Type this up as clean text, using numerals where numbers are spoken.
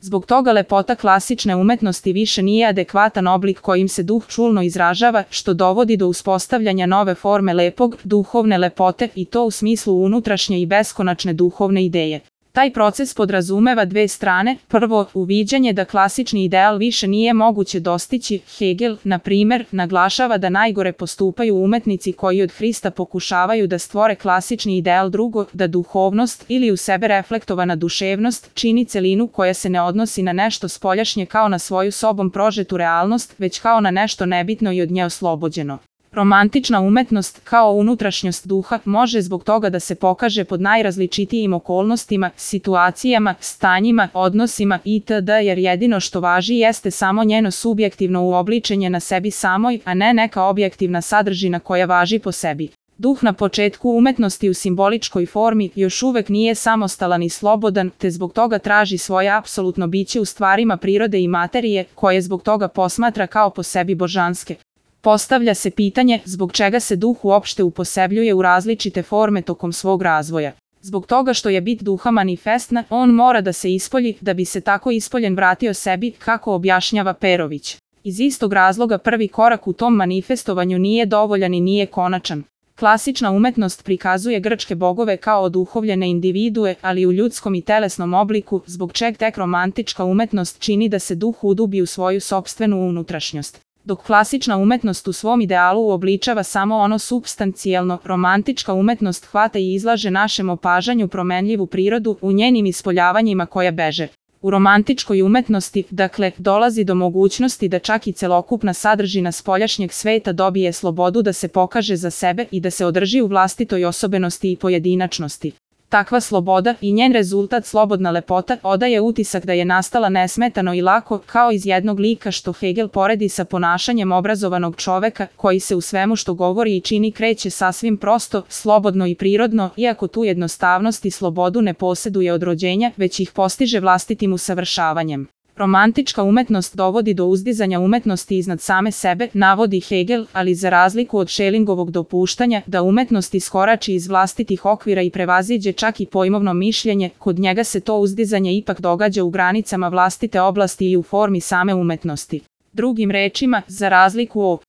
Zbog toga lepota klasične umetnosti više nije adekvatan oblik kojim se duh čulno izražava, što dovodi do uspostavljanja nove forme lepog, duhovne lepote i to u smislu unutrašnje i beskonačne duhovne ideje. Taj proces podrazumeva dve strane. Prvo, uviđanje da klasični ideal više nije moguće dostići. Hegel, na primer, naglašava da najgore postupaju umetnici koji od Hrista pokušavaju da stvore klasični ideal. Drugo, da duhovnost ili u sebe reflektovana duševnost čini celinu koja se ne odnosi na nešto spoljašnje kao na svoju sobom prožetu realnost, već kao na nešto nebitno i od nje oslobođeno. Romantična umetnost, kao unutrašnjost duha, može zbog toga da se pokaže pod najrazličitijim okolnostima, situacijama, stanjima, odnosima itd. Jer jedino što važi jeste samo njeno subjektivno uobličenje na sebi samoj, a ne neka objektivna sadržina koja važi po sebi. Duh na početku umetnosti u simboličkoj formi još uvek nije samostalan i slobodan, te zbog toga traži svoje apsolutno biće u stvarima prirode i materije, koje zbog toga posmatra kao po sebi božanske. Postavlja se pitanje zbog čega se duh uopšte uposebljuje u različite forme tokom svog razvoja. Zbog toga što je bit duha manifestna, on mora da se ispolji da bi se tako ispoljen vratio sebi, kako objašnjava Perović. Iz istog razloga prvi korak u tom manifestovanju nije dovoljan i nije konačan. Klasična umetnost prikazuje grčke bogove kao oduhovljene individue, ali u ljudskom i telesnom obliku, zbog čeg tek romantička umetnost čini da se duh udubi u svoju sopstvenu unutrašnjost. Dok klasična umetnost u svom idealu uobličava samo ono supstancijalno, romantička umetnost hvata i izlaže našem opažanju promenljivu prirodu u njenim ispoljavanjima koja beže. U romantičkoj umetnosti, dakle, dolazi do mogućnosti da čak i celokupna sadržina spoljašnjeg sveta dobije slobodu da se pokaže za sebe i da se održi u vlastitoj osobenosti i pojedinačnosti. Takva sloboda i njen rezultat slobodna lepota odaje utisak da je nastala nesmetano i lako, kao iz jednog lika što Hegel poredi sa ponašanjem obrazovanog čoveka koji se u svemu što govori i čini kreće sasvim prosto, slobodno i prirodno, iako tu jednostavnost i slobodu ne poseduje od rođenja, već ih postiže vlastitim usavršavanjem. Romantička umetnost dovodi do uzdizanja umetnosti iznad same sebe, navodi Hegel, ali za razliku od Schellingovog dopuštanja da umetnost iskorači iz vlastitih okvira i prevaziđe čak i pojmovno mišljenje, kod njega se to uzdizanje ipak događa u granicama vlastite oblasti i u formi same umetnosti. Drugim rečima, za razliku od